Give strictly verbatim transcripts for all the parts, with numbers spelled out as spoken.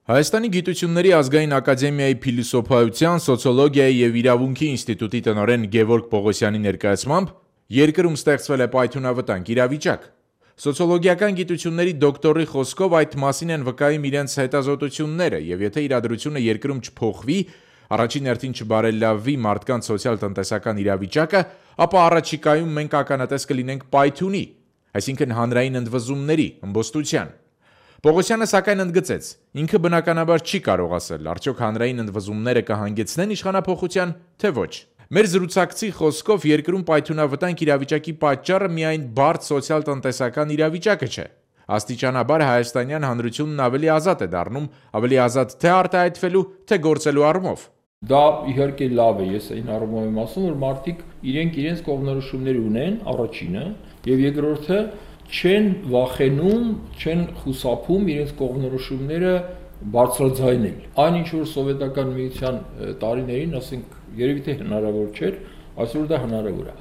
Հայաստանի գիտությունների ազգային ակադեմիայի փիլիսոփայության, սոցիոլոգիայի և իրավունքի ինստիտուտի տնօրեն Գևորգ Պողոսյանի ներկայացմամբ երկրում ստեղծվել է պայթյունավտանգ իրավիճակ։ Սոցիոլոգիական գիտությունների դոկտորի խոսքով այդ մասին են վկայում իրենց հետազոտությունները, և եթե իրադրությունը երկրում չփոխվի, առաջին հերթին չբարելավի մարդկանց սոցիալ-տնտեսական իրավիճակը, ապա առաջիկայում մենք ականատես կլինենք պայթյունի, այսինքն հանրային ընդվզումների, ըմբոստության։ Պողոսյանը սակայն ընդգծեց, ինքը բնականաբար չի կարող ասել, արդյոք հանրային ընդվզումները կհանգեցնեն իշխանափոխության, թե ոչ։ Մեր զրուցակցի խոսքով երկրում պայթյունավտանգ իրավիճակի պատճառը միայն բարդ սոցիալ-տնտեսական իրավիճակը չէ։ Աստիճանաբար հայաստանյան հանրությունն ավելի ազատ է դառնում, ավելի ազատ թե արտահայտվելու, թե գործելու առումով։ Դա իհարկե լավ է, ես այն առումով եմ ասում, որ մարդիկ իրենք իրենց կողմնորոշումներ ունեն, առաջինը, եւ երկրորդը չեն վախենում, չեն խուսափում իրենց կողմնորոշումները բարձրաձայնել։ Այն ինչ որ սովետական միության տարիներին, ասենք, երևի թե հնարավոր չէր, այսօր դա հնարավոր է։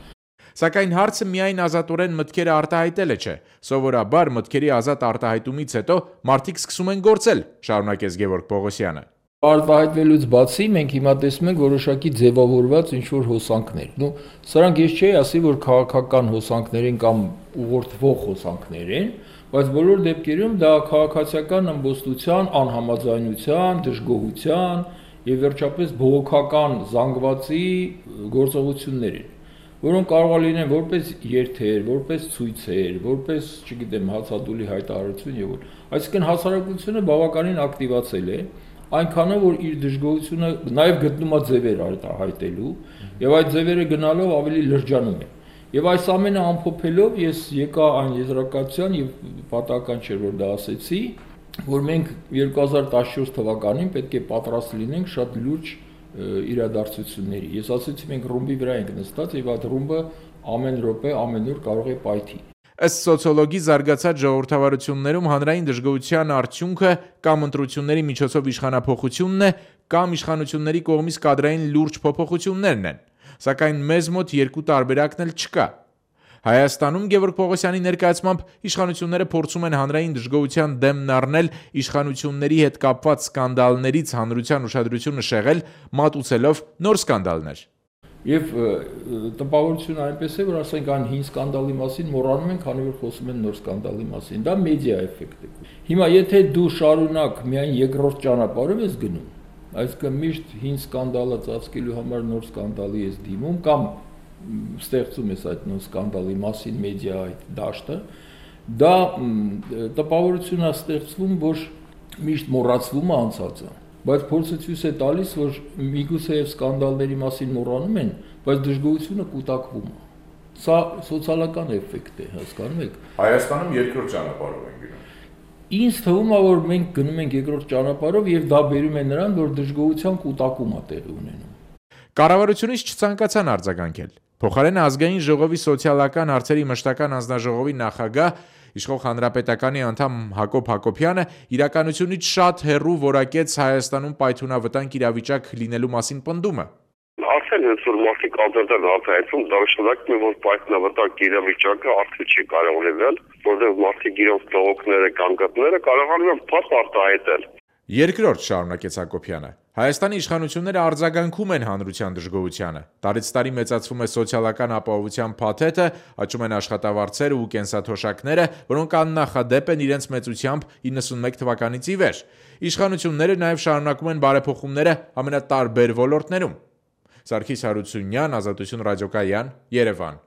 Սակայն հարցը միայն ազատորեն մտքերը արտահայտելը չէ։ Սովորաբար մտքերի ազատ արտահայտումից հետո մարդիկ սկսում են գործել, շարունակեց Գևորգ Պողոսյանը։ Արտահայտվելուց բացի մենք հիմա տեսնում ենք որոշակի ձևավորված ինչ-որ հոսանքներ։ Նու սրանք ես չէի ասի, որ քաղաքական հոսանքներ են կամ ուղղորդվող հոսանքներ են, բայց բոլոր դեպքերում դա քաղաքացիական ըմբոստության, անհամաձայնության, դժգոհության եւ վերջապես բողոքական զանգվածի գործողություններ են, որոնք կարող է լինեն որպես երթեր, որպես ցույցեր, որպես, չգիտեմ, հացադուլի հայտարարություն եւ այլն։ Այսինքն հասարակությունը բավականին ակտիվացել է, այնքանով որ իր դժգոհությունը նաև գտնում է ձևեր արտահայտելու եւ այդ ձևերը գնալով ավելի լրջանում է։ Եվ այս ամենը ամփոփելով ես եկա այն եզրակացության եւ պատահական չէր որ դա ասեցի, որ մենք երկու հազար տասնչորս թվականին պետք է պատրաստ լինենք շատ լուրջ իրադարձությունների։ Ես ասեցի մենք ռումբի վրա ենք նստած եւ այդ ռումբը ամեն րոպե ամեն օր կարող է պայթի։ Ըստ սոցիոլոգի զարգացած ժողովրդավարություններում հանրային դժգոհության արդյունքը կամ ընտրությունների միջոցով իշխանափոխությունն է, կամ իշխանությունների կողմից կադրային լուրջ փոփոխություններն են, սակայն մեզ մոտ երկու տարբերակն էլ չկա։ Հայաստանում Գևորգ Պողոսյանի ներկայացմամբ իշխանությունները փորձում են հանրային դժգոհության դեմն առնել իշխանությունների հետ կապված սկանդալներից հանրության ուշադրությունը շեղել, մատուցելով նոր սկանդալներ։ Եվ տպավորությունը այնպես է, որ ասենք այն հին սկանդալի մասին մոռանում ենք, քանի որ խոսում են նոր սկանդալի մասին։ Դա մեդիա էֆեկտ է։ Հիմա եթե դու շարունակ միայն երկրորդ ճանապարհով ես գնում, այսինքն միշտ հին սկանդալը ծածկելու համար նոր սկանդալի ես դիմում կամ ստեղծում ես այդ նոր սկանդալի մասին մեդիա այդ դաշտը, դա տպավորություն է ստեղծվում, որ միշտ մոռացվում է անցածը։ Բայց փորձը ցույց է տալիս, որ միգուցե եւ սկանդալների մասին մոռանում են, բայց դժգոհությունը կուտակվում է։ Սա սոցիալական էֆեկտ է, հասկանում եք։ Հայաստանում երկրորդ ճանապարհով են գնում։ Ինձ թվում է, որ մենք գնում ենք երկրորդ ճանապարհով եւ դա բերում է նրան, որ դժգոհության կուտակում է տեղի ունենում։ Կառավարությունից չցանկացան արձագանքել։ Փոխարենը ազգային ժողովի սոցիալական հարցերի մշտական անձնաժողովի նախագահ Իշխող հանրապետականի անդամ Հակոբ Հակոբյանը իրականությունից շատ հեռու որակեց Հայաստանում պայթյունավտանգ իրավիճակ լինելու մասին պնդումը։ Արդեն հենց որ մարդիկ անդրադառն արտահայտում, դա նշանակում է, որ պայթյունավտանգ իրավիճակը արդեն չի կարող լինել, որովհետև մարդիկ իրենց դողոքները կամ գտները կարողանում են փառք արտահայտել։ Երկրորդ, շարունակեց Հակոբյանը, Հայաստանի իշխանությունները արձագանքում են հանրության դժգոհությանը։ Տարեց տարի մեծացվում է սոցիալական ապահովության փաթեթը, աճում են աշխատավարձերը ու կենսաթոշակները, որոնք աննախադեպ են իրենց մեծությամբ իննսունմեկ թվականից ի վեր։ Իշխանությունները նաև շարունակում են բարեփոխումները ամենատարբեր ոլորտներում։ Սարգիս Հարությունյան, Ազատություն ռադիոկայան, Երևան։